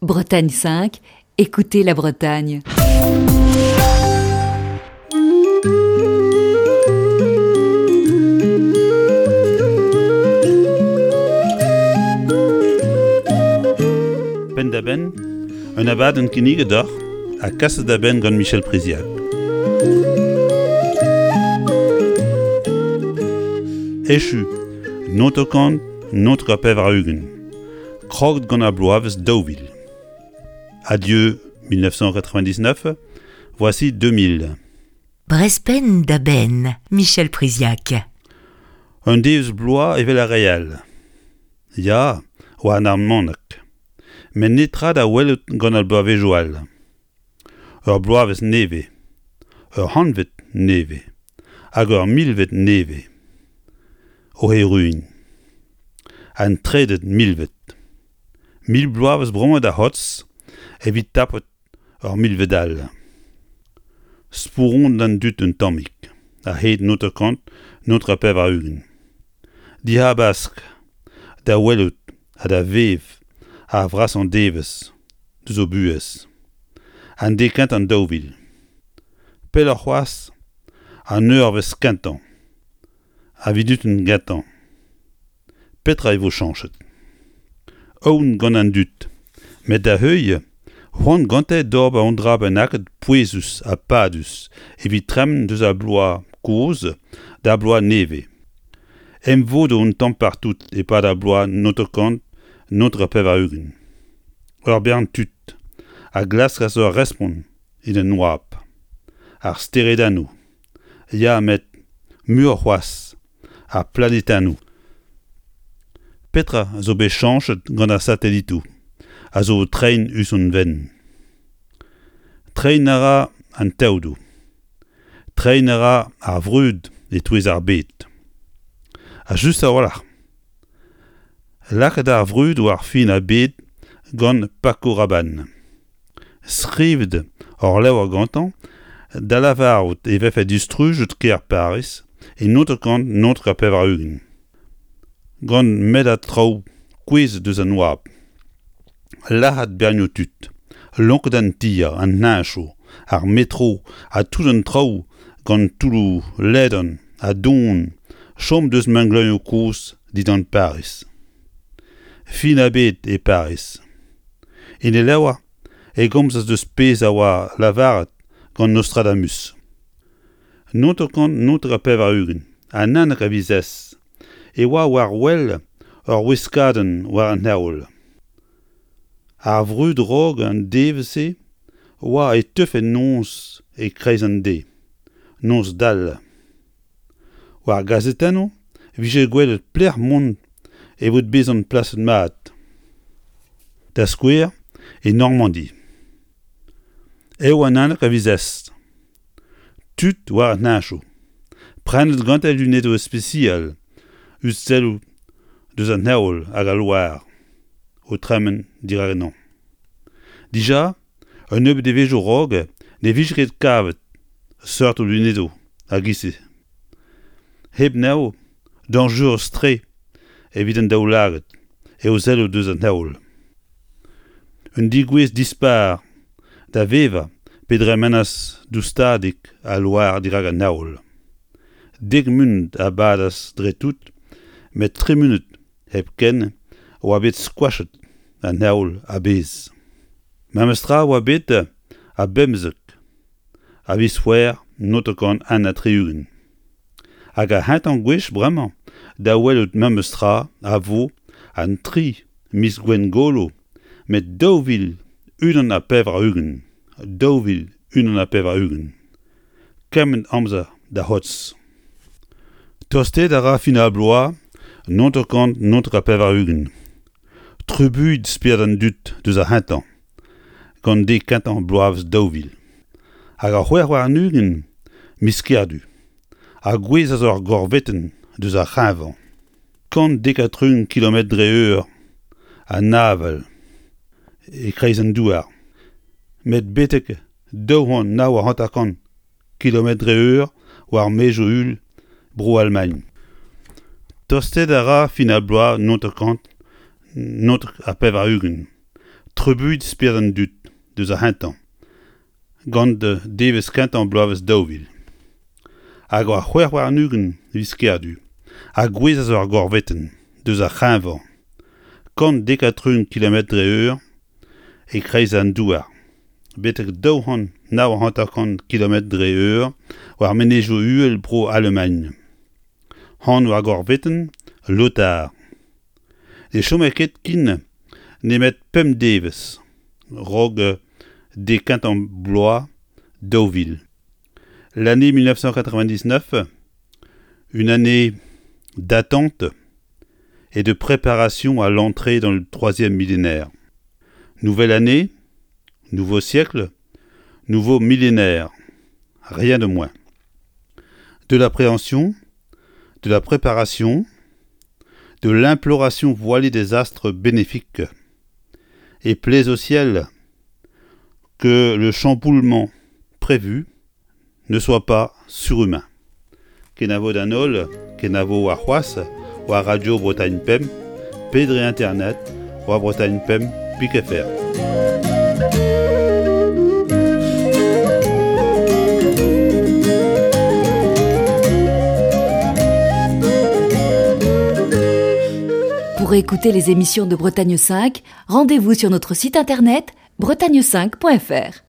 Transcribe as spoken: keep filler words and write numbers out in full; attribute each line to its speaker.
Speaker 1: Bretagne cinq, écoutez la Bretagne.
Speaker 2: Penn-da-benn, un abadenn kinniget deoc'h ha kaset da benn gant Michel Priziac. Echu, naontek naontek ha pevar-ugent. Kroget gant ar bloavezh daou vil. Adieu mille neuf cent quatre-vingt-dix-neuf, voici deux mille.
Speaker 3: Brezh penn da benn, Michel Priziac.
Speaker 2: Un devezh bloaz evel ar re all. Ya, war an almanach. Met netra da welout gant ar bloavezhioù all. Ur bloavezh nevez, ur c'hantved nevez, hag ur milved nevez. O erruiñ. An trede milved. Mil bloavezh bremañ da c'hortoz evit tapout ur milved all. Spouron d'an dud un tammig, a-hed naontek kant naontek ha pevar-ugent. Dihabask da welout ha da vev ar vrasañ devezh deus o buhez. An deiz kentañ daou vil. Pelloc'h c'hoazh, an eurvezh kentañ. Ar vunutenn gentañ. Petra e vo chañchet? Aon gant an dud, met da heuilh, c'hoant gante d'ober un dra bennaket pouezus ha padus evit tremen deus ar bloaz kozh d'ar bloaz nevez. Emvodoù un tamm partout e-pad ar bloaz naontek kant naontek ha pevar-ugent. Ur bern tud a glaskas ur respont en un oabl. Ar steredennoù. Ya, met muioc'h c'hoazh ar planedennoù. Petra zo bet chañchet gant ar satelitoù a zo o treiñ us hon fenn? Treiñ a ra an teodoù. Treiñ a ra ar vrud e-touez ar bed. Ha just a-walc'h. Lakaet ar vrud war fin ar bed gant Paco Rabanne. Skrivet hor levr gantañ da lavarout e vefe distrujet kêr Pariz e naontek kant naontek ha pevar-ugent. Gant mellad traoù kouezhet eus an oabl. Lazhet bernioù tud, lonket an tier, an heñchoù, ar metro ha tout an traoù gant toulloù ledan ha don chom deus mengleuzioù kozh dindan Pariz. Fin ar bed e Pariz. En e levr e gomzas deus pezh a oa lavaret gant Nostradamus. Naontek kant naontek ha pevar-ugent, an unnek a viz Ez, e oa war wel ur wiskadenn war an heol. Ar vrud raok an devezh-se oa e teufe noz e-kreiz an deiz, noz dall. War gazetennoù e vije gwelet pelec'h mont evit bezañ plaset mat. Da skouer, e Normandi. Eo an unnek a viz Ez. Tud war an heñchoù. Prenet gante lunedoù spesial eus selloù deus an heol hag al loar o tremen dirak ennañ. Dija, un nebeud devezhioù raok ne vije ket kavet seurt lunedoù a-giz-se. Hep anezho, dañjerus-tre evit an daoulagad eo selloù deus an heol. Un degouezh dispar da vevañ pe dremenas doustadik al loar dirak an heol. Dek munut a badas dre tout, met tri munut hepken oa bet skoachet an heol a-bezh. Memes tra oa bet a bemzek a viz C'hwevrer naontek kant un ha tri-ugent. Hag ar c'hentañ gwech bremañ da welout memes tra a vo an tri miz Gwengolo met daou vil unan ha pevar-ugent, daou vil unan ha pevar-ugent. Kement amzer da c'hortoz. Tostaet a ra fin ar bloaz naontek kant naontek ha pevar-ugent. Trubuilh spered an dud deus ar c'hentañ, gant deiz kentañ bloavezh daou vil. Hag ar c'hwec'h warn-ugent miz Kerdu. A gouezhas ur gorvetenn deus ar c'hreñvañ. Kant dek ha tri-ugent kilometr dre eur an avel e-kreiz an douar. Met betek daou c'hant nav ha hanter-kant kilometr dre eur war maezioù uhel Bro-Almagn. Tostaet a ra fin ar bloaz naontek kant naontek ha pevar-ugent. Trubuilh spered an dud deus ar c'hentañ, gant devezh kentañ bloavezh daou vil. Hag ar c'hwec'h warn-ugent viz Kerdu, a gouezhas ur gorvetenn deus ar c'hreñvañ, kant dek ha tri-ugent kilometr dre eur e-kreiz an douar, betek daou c'hant nav hanter-kant kilometr dre eur war menezioù uhel bro Alamagn. Anv ar gorvetenn Lothar. Ne chome ket ken nemet pemp devezh 'raok dek kentañ bloaz daou vil. L'année mille neuf cent quatre-vingt-dix-neuf, une année d'attente et de préparation à l'entrée dans le troisième millénaire. Nouvelle année, nouveau siècle, nouveau millénaire, rien de moins. De l'appréhension, de la préparation, de l'imploration voilée des astres bénéfiques. Et plaise au ciel que le chamboulement prévu ne soit pas surhumain. Kenavo d'an holl, kenavo warc'hoazh, war Radio Bretagne Pemp, pe dre internet, war Bretagne Pemp pik F R.
Speaker 1: Pour écouter les émissions de Bretagne cinq, rendez-vous sur notre site internet bretagne cinq point F R.